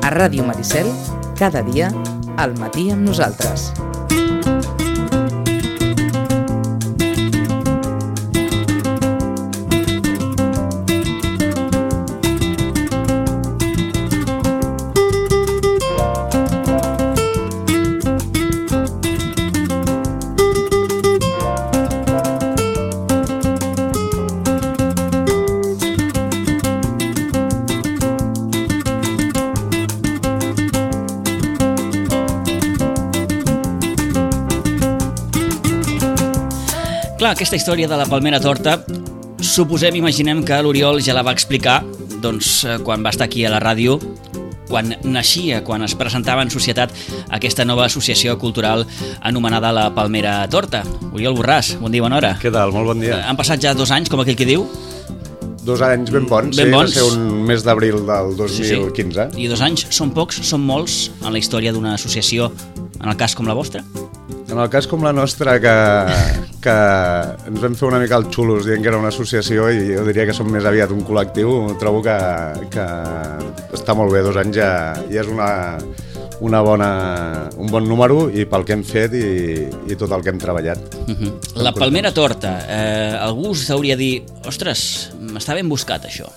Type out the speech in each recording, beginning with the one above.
A Ràdio Maricel, cada dia, al matí amb nosaltres. Clar, aquesta història de la palmera torta, imaginem que l'Oriol ja la va explicar quan va estar aquí a la ràdio, quan naixia, quan es presentava en societat aquesta nova associació cultural anomenada la Palmera Torta. Oriol Borràs, bon dia, bona hora. Què tal? Molt bon dia. Han passat ja 2 anys, com aquell que diu? 2 anys ben bons, ben bons. Va ser un mes d'abril del 2015. Sí. I 2 anys són pocs, són molts en la història d'una associació, en el cas com la vostra? En el cas com la nostra, que ens vam fer una mica els xulos dient que era una associació, i jo diria que som més aviat un col·lectiu, trobo que està molt bé. 2 anys ja és un bon número, i pel que hem fet i tot el que hem treballat. La Palmera Torta, algú us hauria de dir, ostres, m'està ben buscat això.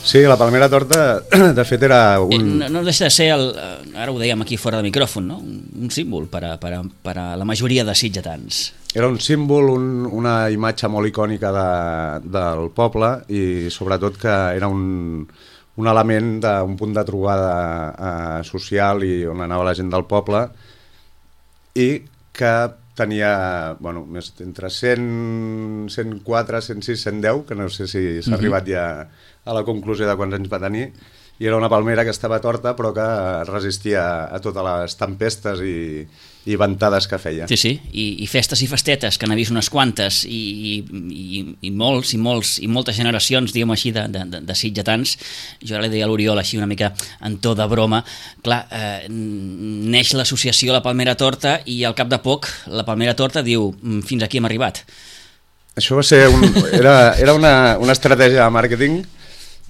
Sí, la Palmera Torta, de fet, era un... No deixa de ser, ara ho dèiem aquí fora de micròfon, no? Un símbol per a la majoria de sitgetans. Era un símbol, una imatge molt icònica del poble, i sobretot que era un element d'un punt de trobada social i on anava la gent del poble, i que tenia entre 100, 104, 106, 110, que no sé si s'ha arribat ja a la conclusió de quants anys va tenir, i era una palmera que estava torta però que resistia a totes les tempestes i ventades que feia. Sí, i festes i festetes, que n'ha vist unes quantes, i moltes generacions, diguem així, de sitgetans. Jo ara li deia a l'Oriol així una mica en to de broma. Clar, neix l'associació La Palmera Torta, i al cap de poc la Palmera Torta diu, fins aquí hem arribat. Això va ser era una estratègia de màrqueting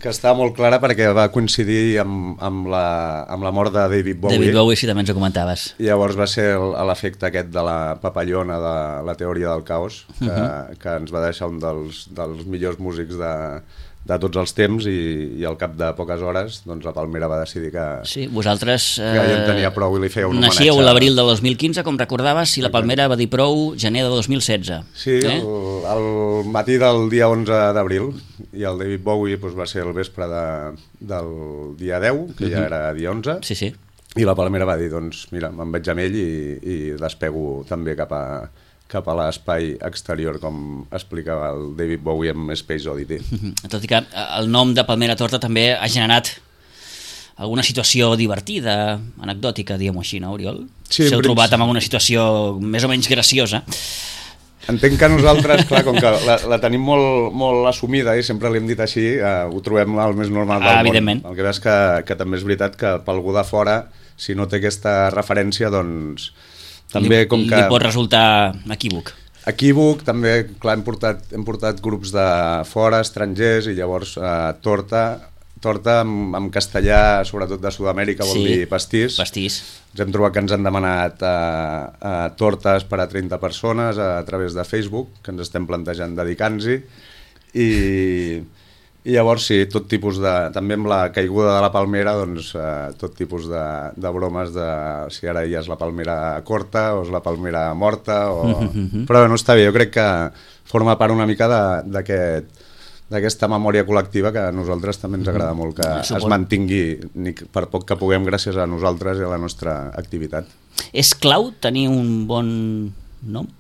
que estava molt clara, perquè va coincidir amb la mort de David Bowie. David Bowie, sí, també ens ho comentaves. I llavors va ser l'efecte aquest de la papallona, de la teoria del caos, que ens va deixar un dels millors músics de tots els temps, i al cap de poques hores la Palmera va decidir que vosaltres ja en tenia prou, i li feia un homenatge. Naixíeu l'abril del 2015, com recordaves, i la Palmera va dir prou gener de 2016. Sí, el matí del dia 11 d'abril, i el David Bowie va ser el vespre del dia 10, que ja era dia 11, sí. I la Palmera va dir, mira, me'n vaig amb ell i despego també cap a l'espai exterior, com explicava el David Bowie amb Space Oddity. Tot i que el nom de Palmera Torta també ha generat alguna situació divertida, anecdòtica, diguem-ho així, no, Oriol? Sí, s'heu trobat amb alguna situació més o menys graciosa. Entenc que nosaltres, clar, com que la tenim molt assumida, i sempre l'hem dit així, ho trobem el més normal del món. Evidentment. El que veus que també és veritat que per algú de fora, si no té aquesta referència, també com que... Li pot resultar equívoc. Equívoc, també, clar, hem portat grups de fora, estrangers, i llavors torta en castellà, sobretot de Sud-amèrica, vol dir pastís. Ens hem trobat que ens han demanat tortes per a 30 persones a través de Facebook, que ens estem plantejant dedicar-nos-hi, i llavors sí, tot tipus també amb la caiguda de la palmera, tot tipus de bromes de si ara ja és la palmera corta o és la palmera morta, però no està bé. Jo crec que forma part una mica d'aquesta memòria col·lectiva que a nosaltres també ens agrada molt que es mantingui, per poc que puguem, gràcies a nosaltres i a la nostra activitat. És clau tenir un bon nom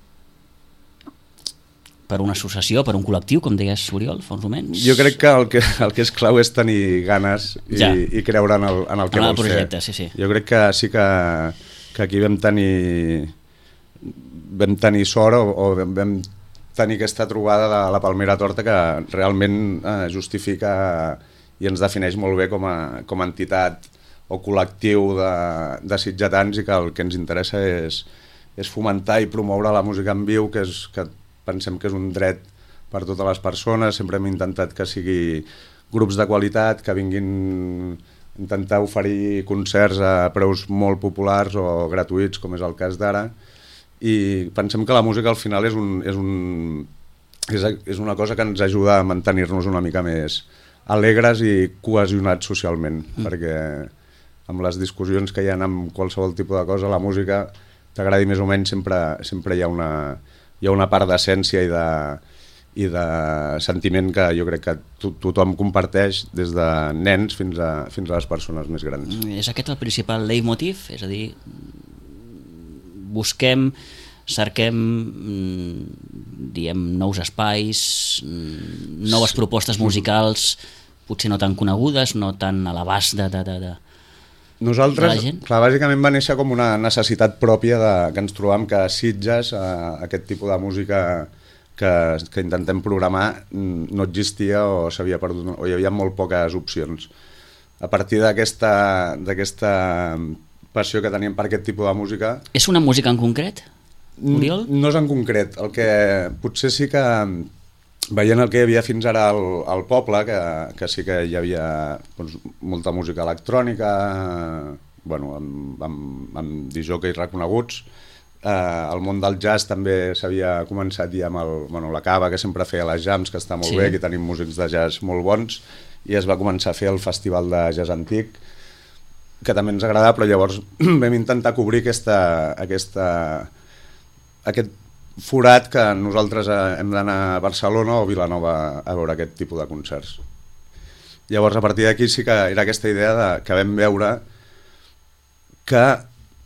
per una associació, per un col·lectiu, com deies, Oriol, fa uns moments? Jo crec que el que és clau és tenir ganes i creure en el que vols projecte, fer. Sí. Jo crec que sí que aquí vam tenir sort, o vam tenir aquesta trobada de la Palmera Torta, que realment justifica i ens defineix molt bé com a entitat o col·lectiu de sitgetans, i que el que ens interessa és fomentar i promoure la música en viu, que pensem que és un dret per totes les persones. Sempre hem intentat que sigui grups de qualitat, que vinguin intentar oferir concerts a preus molt populars o gratuïts, com és el cas d'ara, i pensem que la música al final és una cosa que ens ajuda a mantenir-nos una mica més alegres i cohesionats socialment, perquè amb les discussions que hi ha amb qualsevol tipus de cosa, la música, t'agradi més o menys, sempre hi ha una part d'essència i de sentiment que jo crec que tothom comparteix, des de nens fins a les persones més grans. És aquest el principal leitmotiv? És a dir, cerquem diem, nous espais, noves propostes musicals, potser no tan conegudes, no tan a l'abast de nosaltres, clar, bàsicament va néixer com una necessitat pròpia que ens trobam que a Sitges aquest tipus de música que intentem programar no existia o s'havia perdut, o hi havia molt poques opcions. A partir d'aquesta passió que teníem per aquest tipus de música... És una música en concret, Oriol? No és en concret. El que potser sí que, veient el que hi havia fins ara al poble, que sí que hi havia doncs, molta música electrònica, bueno, amb disjòqueis reconeguts, el món del jazz també s'havia començat ja amb la Cava, que sempre feia les jams, que està molt bé, que tenim músics de jazz molt bons, i es va començar a fer el festival de jazz antic, que també ens agradava, però llavors vam intentar cobrir aquest forat que nosaltres hem d'anar a Barcelona o Vilanova a veure aquest tipus de concerts. Llavors, a partir d'aquí sí que era aquesta idea que vam veure que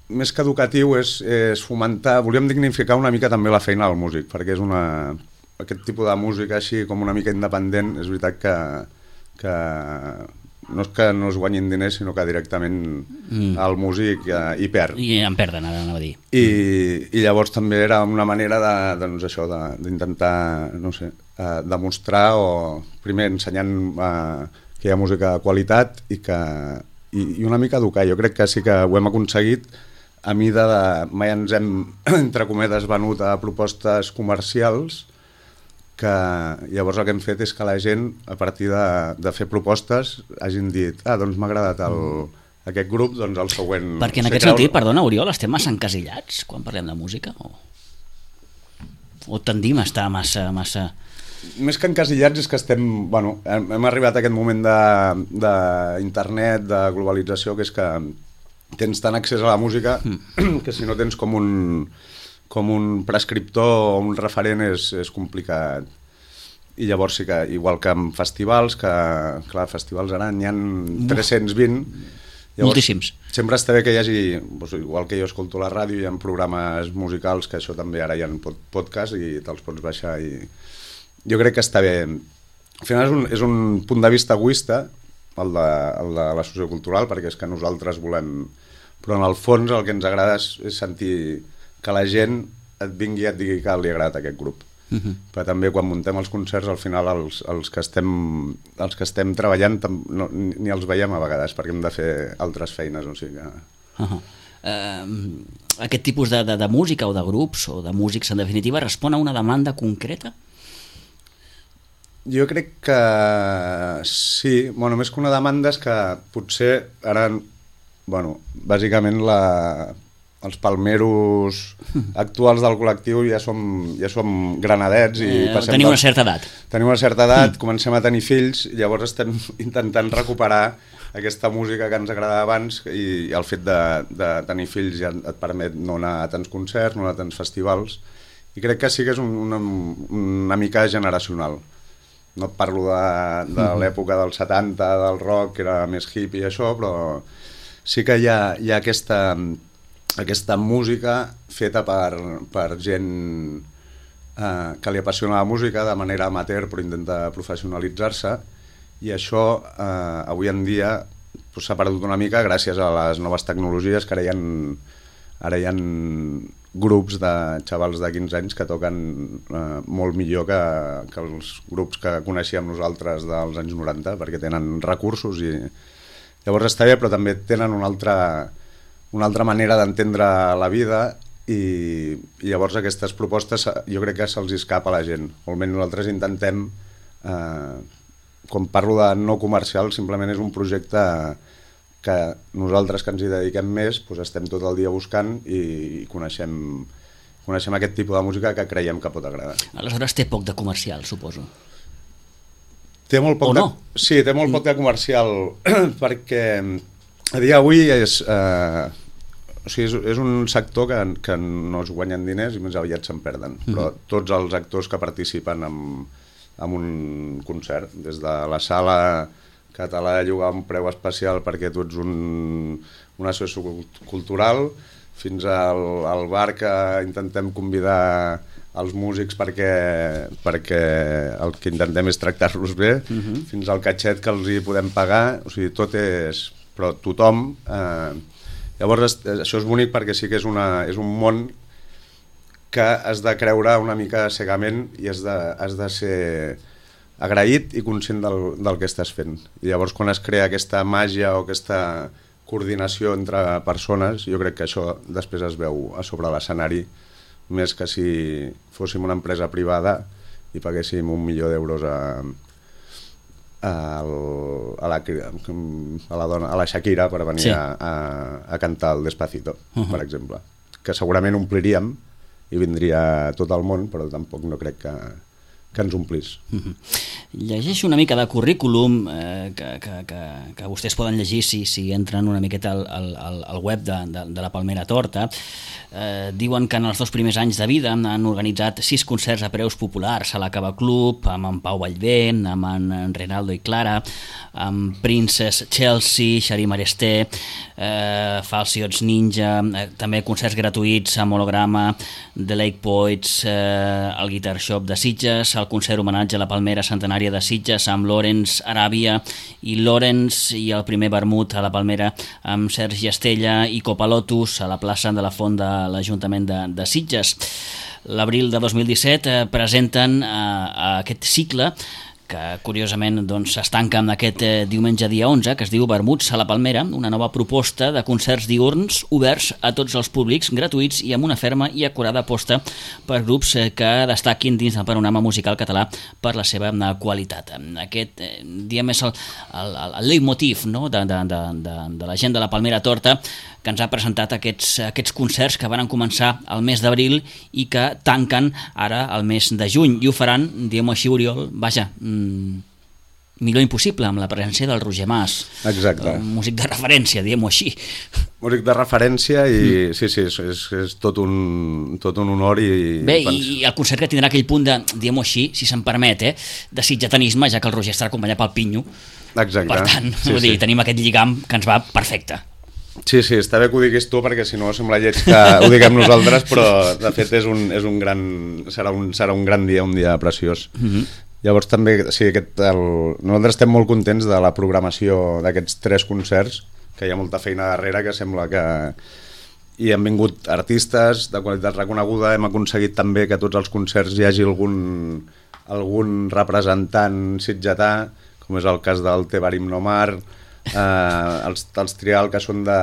més que educatiu és fomentar, volíem dignificar una mica també la feina del músic, perquè és aquest tipus de música així com una mica independent, és veritat que no és que no es guanyin diners, sinó que directament el músic hi perd. I en perden, anava a dir. I llavors també era una manera d'intentar, no sé, demostrar, o primer ensenyant que hi ha música de qualitat i una mica educar. Jo crec que sí que ho hem aconseguit a mida mai ens hem, entre cometes, venut a propostes comercials, que llavors el que hem fet és que la gent, a partir de fer propostes, hagin dit, doncs m'ha agradat aquest grup, doncs el següent... Perquè en aquest sentit, perdona, Oriol, estem massa encasillats quan parlem de música? O tendim a estar massa... Més que encasillats és que estem... Bueno, hem arribat a aquest moment d'internet, de globalització, que és que tens tant accés a la música que si no tens com un prescriptor o un referent és complicat. I llavors sí que, igual que amb festivals, que clar, festivals ara n'hi ha 320. Llavors, moltíssims. Sempre està bé que hi hagi, doncs, igual que jo escolto la ràdio, hi ha programes musicals, que això també ara hi ha podcast i te'ls pots baixar. I jo crec que està bé. Al final és un punt de vista egoista, el de la sociocultural, perquè és que nosaltres volem... Però en el fons el que ens agrada és sentir que la gent et vingui i et digui que li ha agradat aquest grup. Però també quan muntem els concerts, al final els que estem treballant ni els veiem a vegades, perquè hem de fer altres feines, o sigui que... Aquest tipus de música o de grups o de músics, en definitiva, respon a una demanda concreta? Jo crec que sí. Bueno, més que una demanda és que potser ara, bueno, bàsicament els palmeros actuals del col·lectiu ja som granadets i tenim una certa edat. Tenim una certa edat, comencem a tenir fills, i llavors estem intentant recuperar aquesta música que ens agradava abans, i el fet de tenir fills ja et permet no anar a tants concerts, no anar a tants festivals, i crec que sí que és una mica generacional. No et parlo de l'època dels 70, del rock, que era més hippie i això, però sí que hi ha aquesta música feta per gent que li apassiona la música de manera amateur, però intenta professionalitzar-se, i això avui en dia s'ha perdut una mica gràcies a les noves tecnologies, que ara hi ha grups de xavals de 15 anys que toquen molt millor que els grups que coneixíem nosaltres dels anys 90, perquè tenen recursos i llavors està bé, però també tenen una altra manera d'entendre la vida, i llavors aquestes propostes jo crec que se'ls escapa a la gent. O almenys nosaltres intentem, quan parlo de no comercial, simplement és un projecte que nosaltres que ens hi dediquem més doncs estem tot el dia buscant i coneixem aquest tipus de música que creiem que pot agradar. Aleshores té poc de comercial, suposo. Té molt poc Sí, té molt poc de comercial perquè a dia d'avui és un sector que no es guanyen diners i més aviat se'n perden, però tots els actors que participen en un concert, des de la sala que te l'ha de llogar a un preu especial perquè tu ets una associació cultural, fins al bar que intentem convidar els músics perquè el que intentem és tractar-los bé, fins al catxet que els hi podem pagar, o sigui, tot és... però tothom... Llavors, això és bonic perquè sí que és un món que has de creure una mica cegament i has de ser agraït i conscient del que estàs fent. I llavors, quan es crea aquesta màgia o aquesta coordinació entre persones, jo crec que això després es veu a sobre l'escenari, més que si fóssim una empresa privada i paguéssim 1 milió d'euros a la Shakira per venir a cantar el Despacito, per exemple. Que segurament ompliríem i vindria tot el món, però tampoc no crec que ens omplís. Llegeixo una mica de currículum que vostès poden llegir si entren una miqueta al web de la Palmera Torta. Diuen que en els 2 primers anys de vida han organitzat 6 concerts a preus populars a la Cava Club, amb en Pau Vallvent, amb en Renaldo i Clara, amb Princess Chelsea, Xarí Maresté, Falsiots Ninja, també concerts gratuïts amb Holograma, The Lake Poets, el Guitar Shop de Sitges, el concert homenatge a la Palmera Centenària de Sitges amb Lawrence Aràbia i Lawrence, i el primer vermut a la Palmera amb Sergi Estella i Copa Lotus a la plaça de la Font de l'Ajuntament de Sitges. L'abril de 2017 presenten aquest cicle que curiosament es tanca amb aquest diumenge dia 11, que es diu Vermuts a la Palmera, una nova proposta de concerts diürns oberts a tots els públics, gratuïts i amb una ferma i acurada aposta per grups que destaquin dins del panorama musical català per la seva qualitat. Aquest, diguem, és el leitmotiv, no?, de la gent de la Palmera Torta, que ens ha presentat aquests concerts que van començar al mes d'abril i que tanquen ara al mes de juny, i ho faran, diguem-ho així, Oriol, vaja, millor impossible, amb la presència del Roger Mas. Exacte. Músic de referència, diguem-ho així. Músic de referència i sí, és tot un honor. Bé, i el concert que tindrà aquell punt de, diguem-ho així, si se'n permet, de sitgetanisme, ja que el Roger estarà acompanyat pel Pinyo. Exacte. Per tant, tenim aquest lligam que ens va perfecte. Sí, està bé que ho diguis tu, perquè si no sembla lleig que ho diguem nosaltres, però de fet serà un gran dia, un dia preciós. Llavors també, sí, nosaltres estem molt contents de la programació d'aquests 3 concerts, que hi ha molta feina darrere, que sembla que... I han vingut artistes de qualitat reconeguda, hem aconseguit també que tots els concerts hi hagi algun representant sitgetà, com és el cas del Tebarim Nomar, els Trial, que són de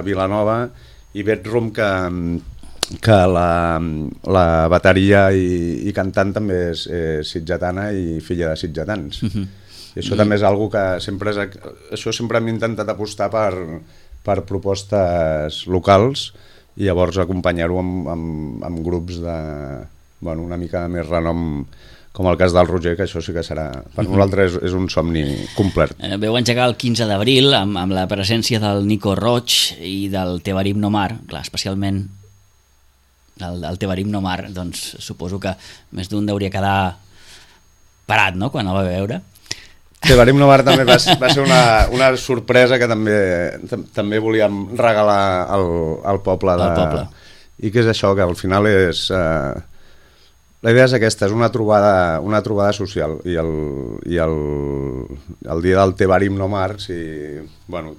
Vilanova, i Bedroom, que la bateria i cantant també és sitgetana i filla de sitgetans. I això també és algo que sempre hem intentat apostar per propostes locals i llavors acompanyar-ho amb grups una mica més renom, com el cas del Roger, que això sí que serà... Per nosaltres és un somni complet. Veu engegar el 15 d'abril amb la presència del Nico Roig i del Tebarim Nomar, clar, especialment el Tebarim Nomar, doncs suposo que més d'un hauria quedar parat, no?, quan el va veure. Tebarim Nomar també va ser una sorpresa que també volíem regalar al poble. I que és això, que al final és... La idea és aquesta, és una trobada social, i el dia del Tebarim Nomar,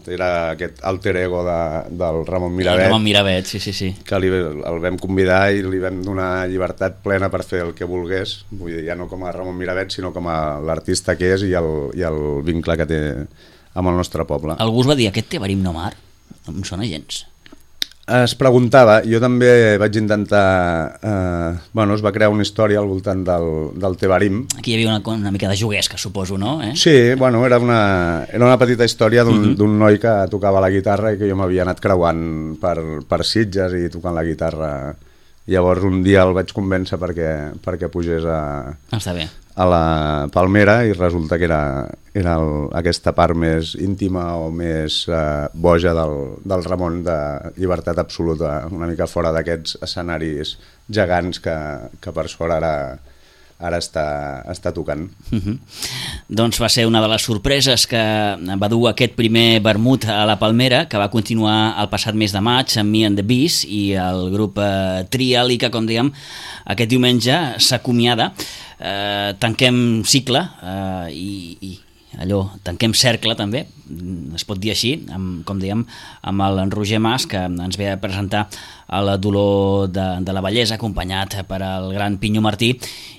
era aquest alter ego del Ramon Miravet. Ramon Miravet, sí. Que el vam convidar i li vam donar llibertat plena per fer el que volgués, vull dir, ja no com a Ramon Miravet, sinó com a l'artista que és i el vincle que té amb el nostre poble. Algú us va dir aquest Tebarim Nomar? Em sona gens. es preguntava, jo també vaig intentar... es va crear una història al voltant del Tebarim. Aquí hi havia una mica de juguesca, suposo, no? Sí, era una petita història d'un noi que tocava la guitarra i que jo m'havia anat creuant per Sitges i tocant la guitarra. Llavors un dia el vaig convèncer perquè pugés Està bé. a la Palmera i resulta que era aquesta part més íntima o més boja del Ramon, de llibertat absoluta, una mica fora d'aquests escenaris gegants que per sort ara està tocant. Doncs va ser una de les sorpreses que va dur aquest primer vermut a la Palmera, que va continuar el passat mes de maig amb Me and the Bees i el grup Trial, i que, com dèiem, aquest diumenge s'acomiada. Tanquem cicle i allò, tanquem cercle també, es pot dir així, com dèiem, amb el Roger Mas, que ens ve a presentar el Dolor de la Bellesa, acompanyat per el gran Pinyo Martí,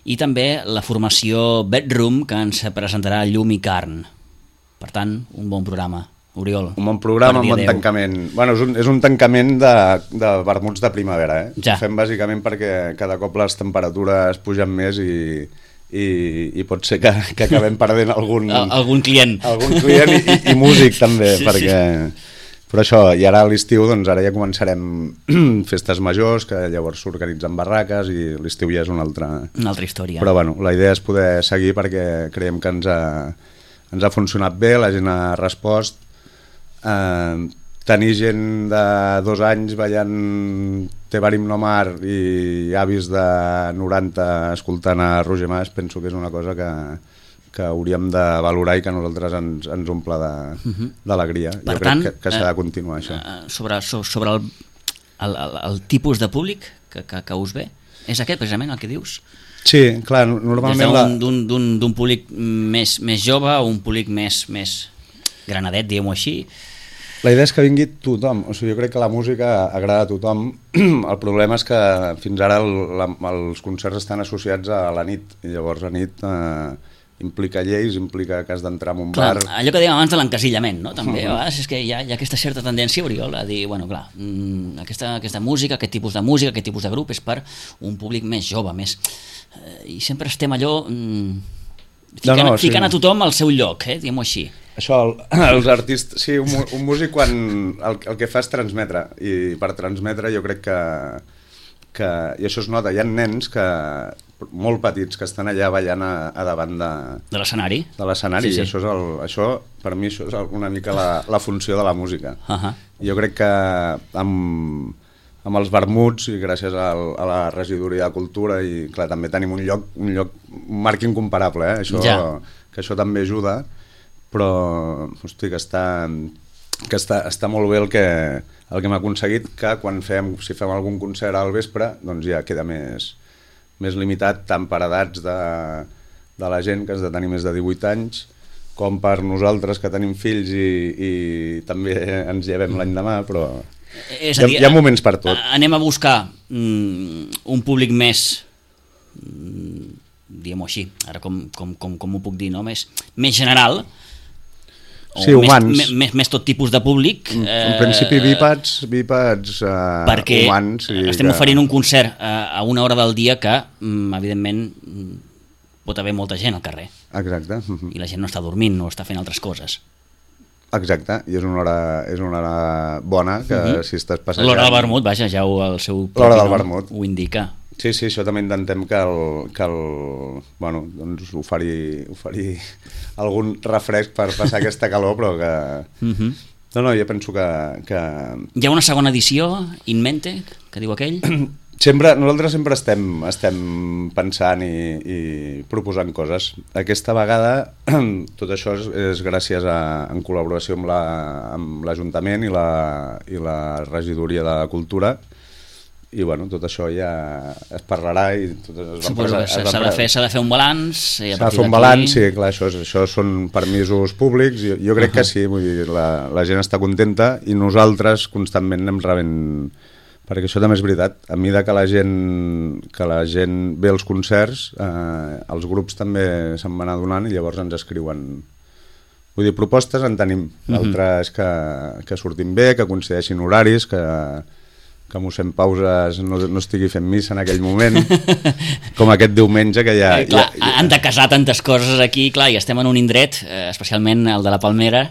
i també la formació Bedroom, que ens presentarà Llum i Carn. Per tant, un bon programa. Oriol. Un bon programa, un bon tancament. És un tancament de vermuts de primavera. Ja. Ho fem bàsicament perquè cada cop les temperatures pugen més i pot ser que acabem perdent algun client i músic també, sí, perquè... Sí. Però això, i ara a l'estiu, doncs ara ja començarem festes majors, que llavors s'organitzen barraques i l'estiu ja és una altra història. Però la idea és poder seguir perquè creiem que ens ha funcionat bé, la gent ha respost. Tenir gent de 2 anys ballant Tebarim no mar i avis de 90 escoltant a Roger Mas, penso que és una cosa que hauríem de valorar i que a nosaltres ens omple d'alegria. Jo crec que s'ha de continuar això. Sobre el tipus de públic que us ve, és aquest precisament el que dius? Sí, clar, normalment... D'un públic més jove o un públic més granadet, diguem-ho així? La idea és que vingui tothom, jo crec que la música agrada a tothom. El problema és que fins ara els concerts estan associats a la nit, i llavors la nit implica lleis, implica que has d'entrar en un bar... Allò que dèiem abans de l'encasillament, no? També, a vegades és que hi ha aquesta certa tendència, Oriol, a dir, aquesta música, aquest tipus de música, aquest tipus de grup és per un públic més jove, més... I sempre estem allò... ficant a tothom al seu lloc, diguem-ho així. Això, els artistes... Sí, un músic quan el que fa és transmetre, i per transmetre jo crec que i això es nota, hi ha nens molt petits que estan allà ballant a davant de l'escenari. Sí. Això, per mi, això és una mica la funció de la música. Jo crec que amb els vermuts i gràcies a la regidoria de cultura i clar, també tenim un marc incomparable, que això també ajuda, però hosti, que està molt bé el que hem aconseguit, que si fem algun concert al vespre doncs ja queda més limitat, tant per edats de la gent que has de tenir més de 18 anys com per nosaltres que tenim fills i també ens llevem l'any demà, però hi ha moments per tot. Anem a buscar un públic més, diguem-ho així, ara com ho puc dir, no? més general, sí, humans. Més tot tipus de públic. En principi bípeds perquè humans. Estem oferint un concert a una hora del dia que, evidentment, pot haver molta gent al carrer. Exacte. I la gent no està dormint, no està fent altres coses. Exacte, i és una hora bona, que si estàs passejant... L'hora del vermut, vaja, ja el seu l'hora del vermut ho indica. Sí, això també intentem doncs oferir algun refresc per passar aquesta calor, però que... No, jo penso que... Hi ha una segona edició, in mente, que diu aquell? Nosaltres sempre estem pensant i proposant coses. Aquesta vegada tot això és gràcies en col·laboració amb l'Ajuntament i la Regidoria de Cultura, i tot això ja es parlarà i suposo que s'ha de fer un balanç. S'ha de fer un balanç, sí, clar, això són permisos públics, jo crec que sí, vull dir, la gent està contenta i nosaltres constantment anem rebent, perquè això també és veritat, a mesura que la gent ve als concerts, els grups també se'n van adonant i llavors ens escriuen. Vull dir, propostes en tenim, l'altre és que sortim bé, que coincideixin horaris, mossèn Pauses no estigui fent missa en aquell moment, com aquest diumenge que ja... Han de casar tantes coses aquí, clar, i estem en un indret, especialment el de la Palmera,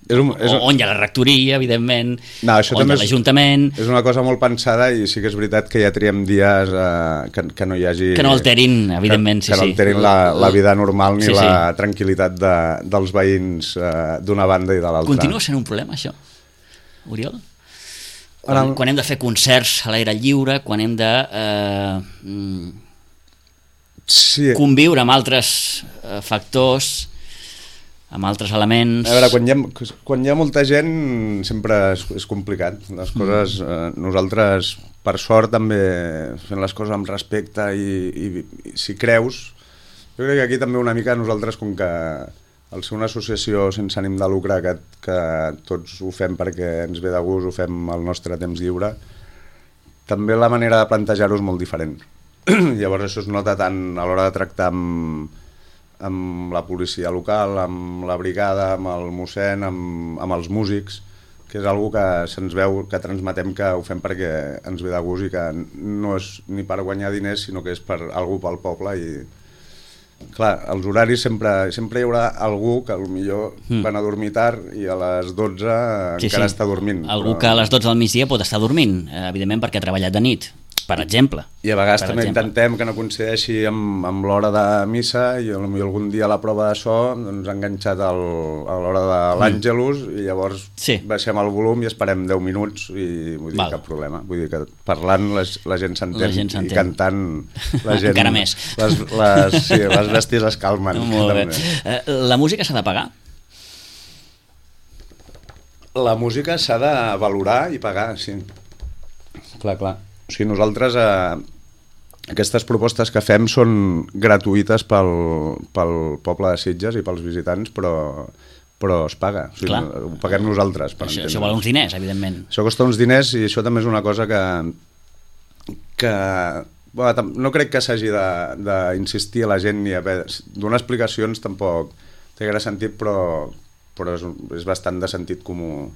on hi ha la rectoria, evidentment, on hi ha l'Ajuntament... És una cosa molt pensada i sí que és veritat que ja triem dies que no hi hagi... Que no alterin, evidentment, que no alterin la vida normal ni la tranquil·litat dels veïns d'una banda i de l'altra. Continua sent un problema, això, Oriol? Quan hem de fer concerts a l'aire lliure, quan hem de conviure amb altres factors, amb altres elements... A veure, quan hi ha molta gent sempre és complicat. Les coses, nosaltres, per sort, també fent les coses amb respecte i si creus... Jo crec que aquí també una mica nosaltres, com que al ser una associació sense ànim de lucre que tots ho fem perquè ens ve de gust, ho fem al nostre temps lliure, també la manera de plantejar-ho és molt diferent. Llavors això es nota tant a l'hora de tractar amb la policia local, amb la brigada, amb el mossèn, amb els músics, que és algo que se'ns veu, que transmetem que ho fem perquè ens ve de gust i que no és ni per guanyar diners, sinó que és per algú pel poble. I clar, als horaris sempre hi haurà algú que potser van a dormir tard i a les 12 encara està dormint. Algú que a les 12 del migdia pot estar dormint, evidentment perquè ha treballat de nit, per exemple. I a vegades també intentem que no coincideixi amb l'hora de missa i potser algun dia a la prova de so ens ha enganxat a l'hora de l'Àngelus i llavors baixem el volum i esperem 10 minuts i vull dir, cap problema. Vull dir que parlant la gent s'entén i cantant la gent... Encara més. Les bèsties es calmen. Molt bé. La música s'ha de pagar? La música s'ha de valorar i pagar, sí. Clar. O sigui, nosaltres aquestes propostes que fem són gratuïtes pel poble de Sitges i pels visitants, però es paga. O sigui, ho paguem nosaltres. Això val uns diners, evidentment. Això costa uns diners i això també és una cosa que no crec que s'hagi d'insistir a la gent ni donar explicacions tampoc té gaire sentit, però és bastant de sentit comú.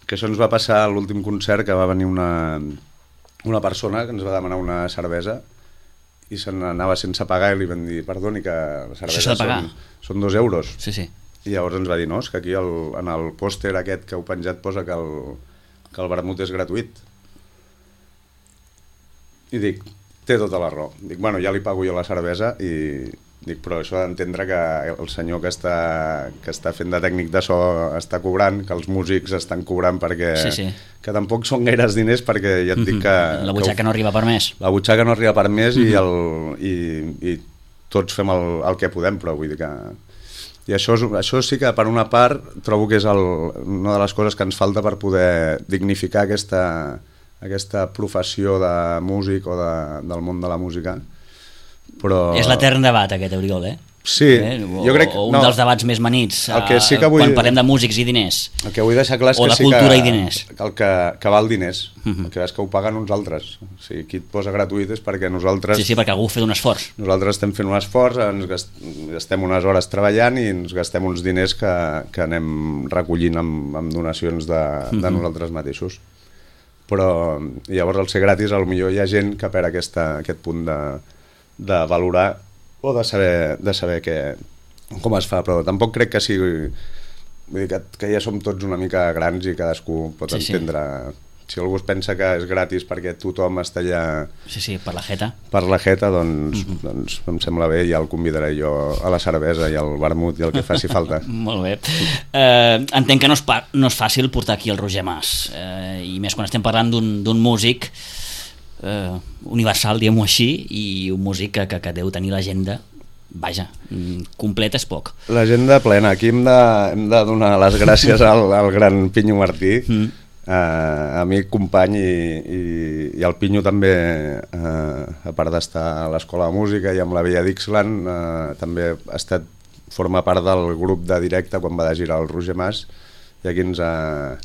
Que això ens va passar a l'últim concert, que va venir una persona que ens va demanar una cervesa i se n'anava sense pagar i li vam dir, perdoni, que la cervesa són 2 euros. Sí. I llavors ens va dir, no, és que aquí en el pòster aquest que heu penjat posa que el vermut és gratuït. I dic, té tota la raó. Dic, bueno, ja li pago jo la cervesa i dic, però això ha d'entendre que el senyor que està fent de tècnic de so està cobrant, que els músics estan cobrant perquè... que tampoc són gaires diners perquè ja et dic que... La butxaca no arriba per més. La butxaca no arriba per més i tots fem el que podem, però vull dir que... I això sí que per una part trobo que és una de les coses que ens falta per poder dignificar aquesta professió de músic o del món de la música. Però... És l'etern debat aquest, Oriol, Sí, jo crec... O un dels debats més manits quan parlem de músics i diners. El que vull deixar clar és o que sí cultura i diners. Que val diners. El que és que ho paguen uns altres. O sigui, qui et posa gratuït és perquè nosaltres... Sí, perquè algú ha fet un esforç. Nosaltres estem fent un esforç, ens gastem unes hores treballant i ens gastem uns diners que anem recollint amb donacions de nosaltres mateixos. Però llavors al ser gratis potser hi ha gent que perd aquest punt de valorar o de saber com es fa, però tampoc crec que sigui... Vull dir que ja som tots una mica grans i cadascú pot entendre... Si algú es pensa que és gratis perquè tothom està allà... Sí, per la jeta. Per la jeta, doncs em sembla bé, ja el convidaré jo a la cervesa i al vermut i el que faci falta. Molt bé. Entenc que no és fàcil portar aquí el Roger Mas, i més quan estem parlant d'un músic universal, diguem-ho així, i un músic que deu tenir l'agenda, vaja, completa és poc. L'agenda plena. Aquí hem de donar les gràcies al gran Pinyo Martí, amic, company, i el Pinyo també, a part d'estar a l'Escola de Música i amb la Vella Dixland, també forma part del grup de directe quan va de girar el Roger Mas, i aquí ens ha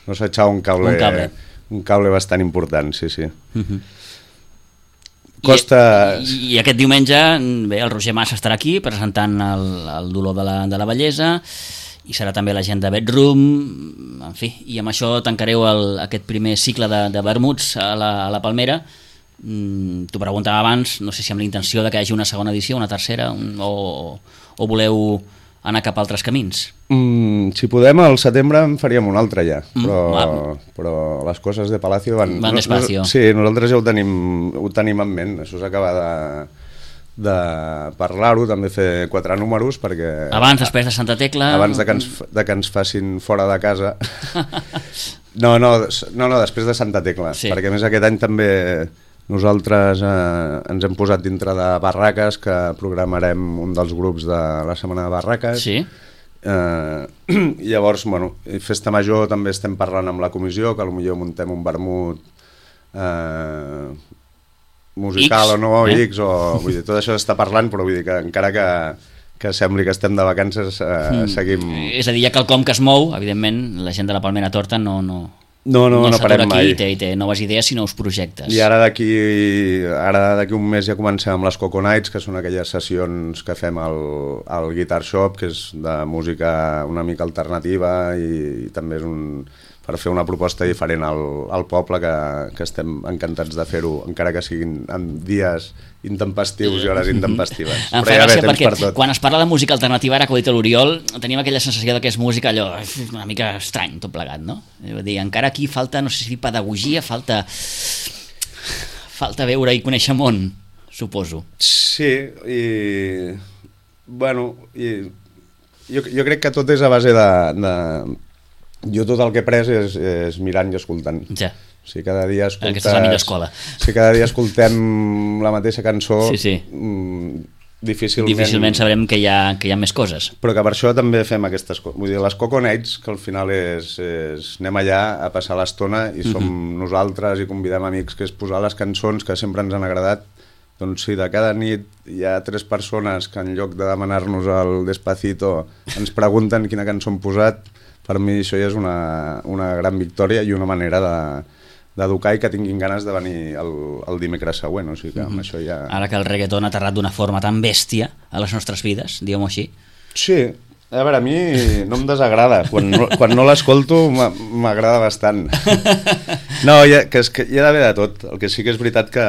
echado un cable bastant important, sí. Costa... I aquest diumenge el Roger Mas estarà aquí presentant el Dolor de la Bellesa, i serà també la gent de Bedroom, en fi, i amb això tancareu aquest primer cicle de vermuts a la Palmera. T'ho preguntava abans, no sé si amb la intenció de que hi hagi una segona edició, una tercera, o voleu anar cap a altres camins? Si podem, al setembre en faríem un altre ja, però les coses de Palacio van despacio. Sí, nosaltres ja ho tenim en ment, això s'acaba de parlar-ho, també fer 4 números perquè... Abans, després de Santa Tecla... Abans de que ens facin fora de casa. No, després de Santa Tecla, sí. Perquè a més aquest any també nosaltres ens hem posat dintre de Barraques, que programarem un dels grups de la Setmana de Barraques. Sí. Llavors, bueno, Festa Major també estem parlant amb la comissió, que potser muntem un vermut musical X, o no, X, o vull dir, tot això s'està parlant, però vull dir que encara que sembli que estem de vacances, seguim... És a dir, hi ha quelcom que es mou, evidentment, la gent de la Palmera Torta no parem mai. I té noves idees i nous projectes. I ara d'aquí un mes ja comencem amb les Coco Nights, que són aquelles sessions que fem al Guitar Shop, que és de música una mica alternativa i també és per fer una proposta diferent al poble, que estem encantats de fer-ho, encara que siguin en dies intempestius i hores intempestives. Em fa gràcia perquè quan es parla de música alternativa, ara que ho ha dit l'Oriol, tenim aquella sensació que és música allò una mica estrany, tot plegat, no? Vull dir, encara aquí falta, no sé si pedagogia, falta veure i conèixer món, suposo. Sí, i bueno, jo crec que tot és a base de jo tot el que he pres és mirant i escoltant. Ja. Si cada dia escoltes... Aquesta és la millor escola. Si cada dia escoltem la mateixa cançó, sí. Difícilment sabrem que hi ha més coses. Però que per això també fem aquestes coses. Vull dir, les Coco Nights, que al final és anem allà a passar l'estona i som nosaltres i convidem amics, que és posar les cançons que sempre ens han agradat. Doncs si de cada nit hi ha 3 persones que en lloc de demanar-nos el Despacito ens pregunten quina cançó hem posat, per mi això ja és una gran victòria i una manera d'educar i que tinguin ganes de venir el dimecres següent. O sigui que amb això ja... Ara que el reggaeton ha aterrat d'una forma tan bèstia a les nostres vides, diguem-ho així. Sí, a veure, a mi no em desagrada. Quan no l'escolto m'agrada bastant. No, que hi ha d'haver de tot. El que sí que és veritat que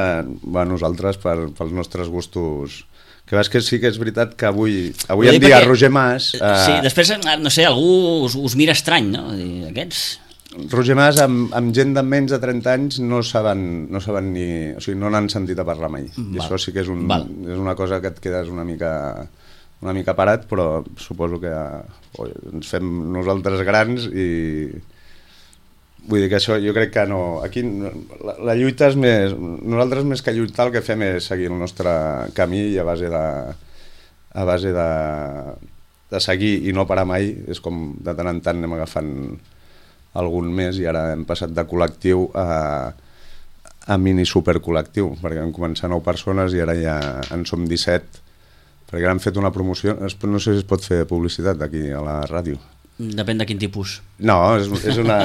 nosaltres, pels nostres gustos... Que veus que sí que és veritat que avui en dia Roger Mas... Sí, després, no sé, algú us mira estrany, no? Aquests... Roger Mas amb gent de menys de 30 anys no saben ni... O sigui, no n'han sentit a parlar mai. I això sí que és una cosa que et quedes una mica parat, però suposo que ens fem nosaltres grans i... Vull dir que això jo crec que no... Aquí la lluita és més... Nosaltres més que lluitar el que fem és seguir el nostre camí i a base de seguir i no parar mai. És com de tant en tant anem agafant algun més i ara hem passat de col·lectiu a mini supercol·lectiu, perquè vam començar 9 persones i ara ja en som 17, perquè ara hem fet una promoció. No sé si es pot fer publicitat aquí a la ràdio. Depèn de quin tipus. No, és una...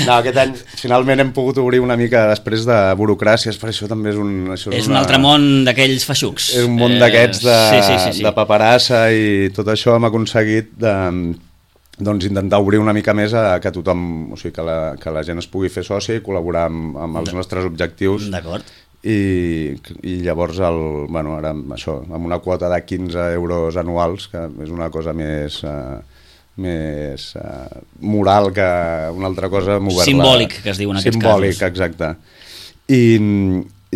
No, aquest any finalment hem pogut obrir una mica després de burocràcies, per això també és un... És un altre món d'aquells feixucs. És un món d'aquests de paperassa i tot això hem aconseguit intentar obrir una mica més a que tothom, o sigui, que la gent es pugui fer sòcia i col·laborar amb els nostres objectius. D'acord. I llavors ara això, amb una quota de 15 euros anuals, que és una cosa més moral que una altra cosa, simbòlic, que es diu en aquests casos. Simbòlic, exacte. I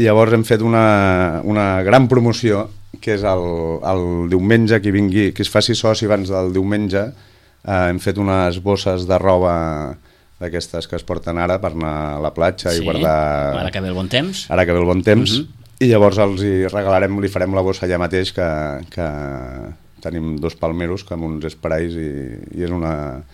llavors hem fet una gran promoció, que és el diumenge, que es faci soci abans del diumenge. Hem fet unes bosses de roba d'aquestes que es porten ara per anar a la platja i guardar... Ara que ve el bon temps. Ara que ve el bon temps. I llavors li farem la bossa allà mateix, que tenim 2 palmeros que amb uns sprays i és una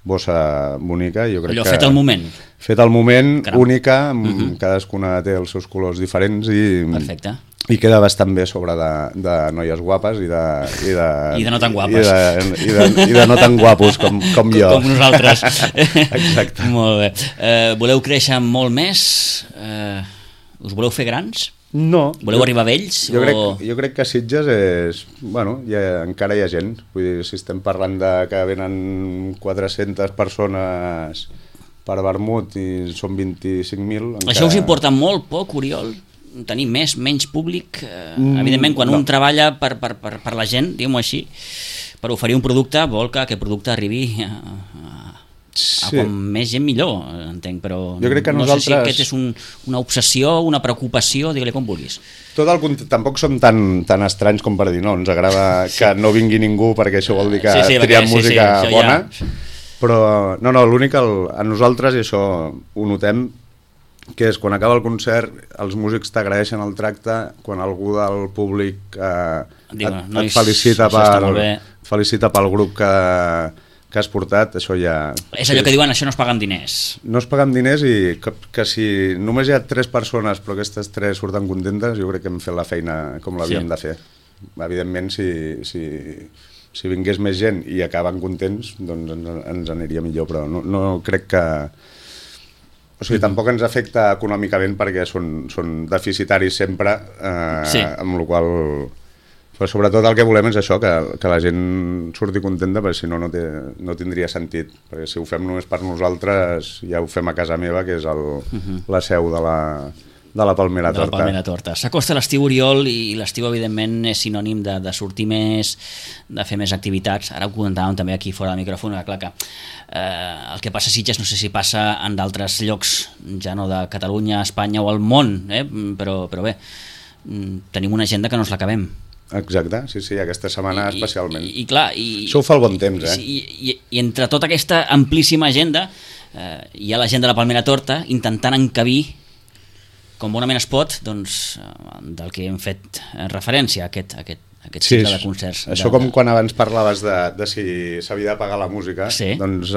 bossa bonica. Jo crec allò fet al moment. Fet al moment, caram. Única, cadascuna té els seus colors diferents perfecte. I queda bastant bé sobre de noies guapes i de no tan guapes. I de no tan guapos com jo. Com nosaltres. Exacte. Molt bé. Voleu créixer molt més? Us voleu fer grans? No. Voleu arribar a ells? Jo crec que Sitges és... Bueno, encara hi ha gent. Vull dir, si estem parlant de que venen 400 persones per vermut i són 25.000... Encara... Això us importa molt poc, Oriol? Tenir menys públic? Evidentment, quan un treballa per la gent, diguem-ho així, per oferir un producte, vol que aquest producte arribi a com més gent millor, entenc, però jo crec que no nosaltres... sé si aquest és una obsessió, una preocupació, digue-li com vulguis. Tampoc som tan estranys com per dir, no, ens agrada que no vingui ningú perquè això vol dir que triem música bona, però no, l'únic a nosaltres, i això ho notem, que és quan acaba el concert els músics t'agraeixen el tracte, quan algú del públic et felicita pel grup que has portat, això ja... És allò que diuen, això no es paga amb diners. No es paga amb diners i que si només hi ha 3 persones però aquestes 3 surten contentes, jo crec que hem fet la feina com l'havíem de fer. Evidentment, si vingués més gent i acaben contents, doncs ens aniria millor, però no crec que... O sigui, tampoc ens afecta econòmicament perquè són deficitaris sempre, amb la qual cosa... Però sobretot el que volem és això, que la gent surti contenta, perquè si no, no tindria sentit. Perquè si ho fem només per nosaltres, ja ho fem a casa meva, que és la seu de la Palmera Torta. De la Palmera Torta. S'acosta l'estiu, Oriol, i l'estiu, evidentment, és sinònim de sortir més, de fer més activitats. Ara ho comentàvem també aquí fora del micròfon, clar que el que passa a Sitges no sé si passa en d'altres llocs, ja no de Catalunya, Espanya o al món, però bé, tenim una agenda que no ens l'acabem. Exacte, sí, aquesta setmana especialment. I clar... Això ho fa el bon temps, I entre tota aquesta amplíssima agenda hi ha la gent de la Palmera Torta intentant encabir, com bonament es pot, doncs, del que hem fet referència, aquest cicle de concerts. Això com quan abans parlaves de si s'havia de pagar la música, doncs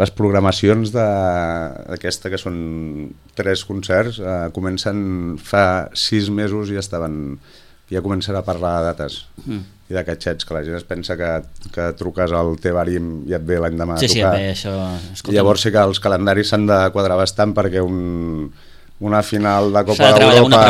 les programacions d'aquesta, que són 3 concerts, comencen fa 6 mesos i ja comencen a parlar de dates i de catxets, que la gent es pensa que truques al teu àrim i et ve l'endemà a tocar. Això... I llavors sí que els calendaris s'han de quadrar bastant perquè una final de Copa d'Europa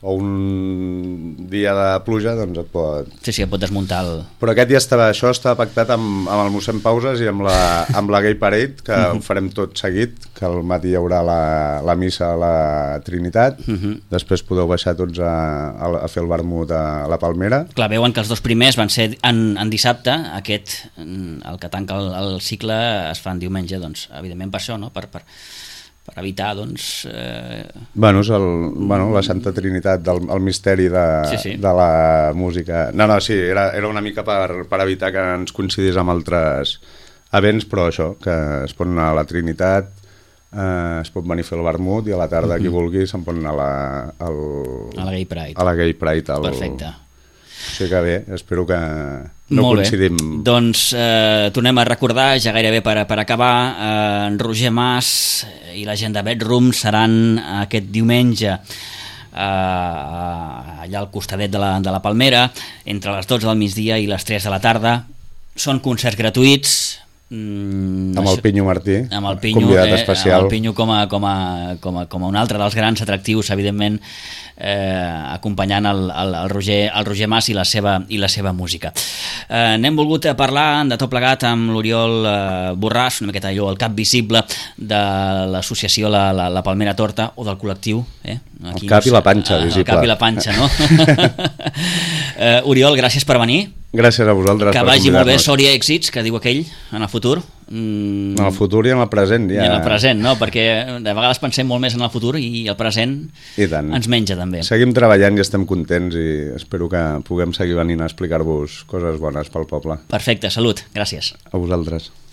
o un dia de pluja, doncs et pot... Sí, et pot desmuntar Però aquest això estava pactat amb el mossèn Pauses i amb la Gay Parade, que ho farem tot seguit, que al matí hi haurà la missa a la Trinitat, després podeu baixar tots a fer el vermut a la Palmera. Clar, veuen que els 2 primers van ser en dissabte, aquest, el que tanca el cicle, es fa en diumenge, doncs, evidentment per això, no? Per evitar, doncs... Bueno, és la Santa Trinitat, el misteri de la música. Sí, era una mica per evitar que ens coincidís amb altres events, però això, que es pot anar a la Trinitat, es pot venir a fer el vermut i a la tarda, qui vulgui, se'n pot anar a la Gay Pride. A la Gay Pride. Perfecte. O sigui que bé, espero que no coincidim. Doncs tornem a recordar, ja gairebé per acabar, en Roger Mas i la gent de Bedroom seran aquest diumenge allà al costadet de la Palmera, entre les 12 del migdia i les 3 de la tarda. Són concerts gratuïts, amb el Pinyo Martí, convidat especial, amb el Pinyo com a un altre dels grans atractius, evidentment, acompanyant el Roger Mas i la seva música. N'hem volgut parlar de tot plegat amb l'Oriol Borràs, una miqueta allò, el cap visible de l'associació la Palmera Torta, o del col·lectiu, el cap i la panxa visible. El cap i la panxa, no? Oriol, gràcies per venir. Gràcies a vosaltres. Que vagi molt bé, sort i èxits, que diu aquell, en el futur. En el futur i en el present. I en el present, no? Perquè de vegades pensem molt més en el futur i el present ens menja també. Seguim treballant i estem contents i espero que puguem seguir venint a explicar-vos coses bones pel poble. Perfecte, salut, gràcies. A vosaltres.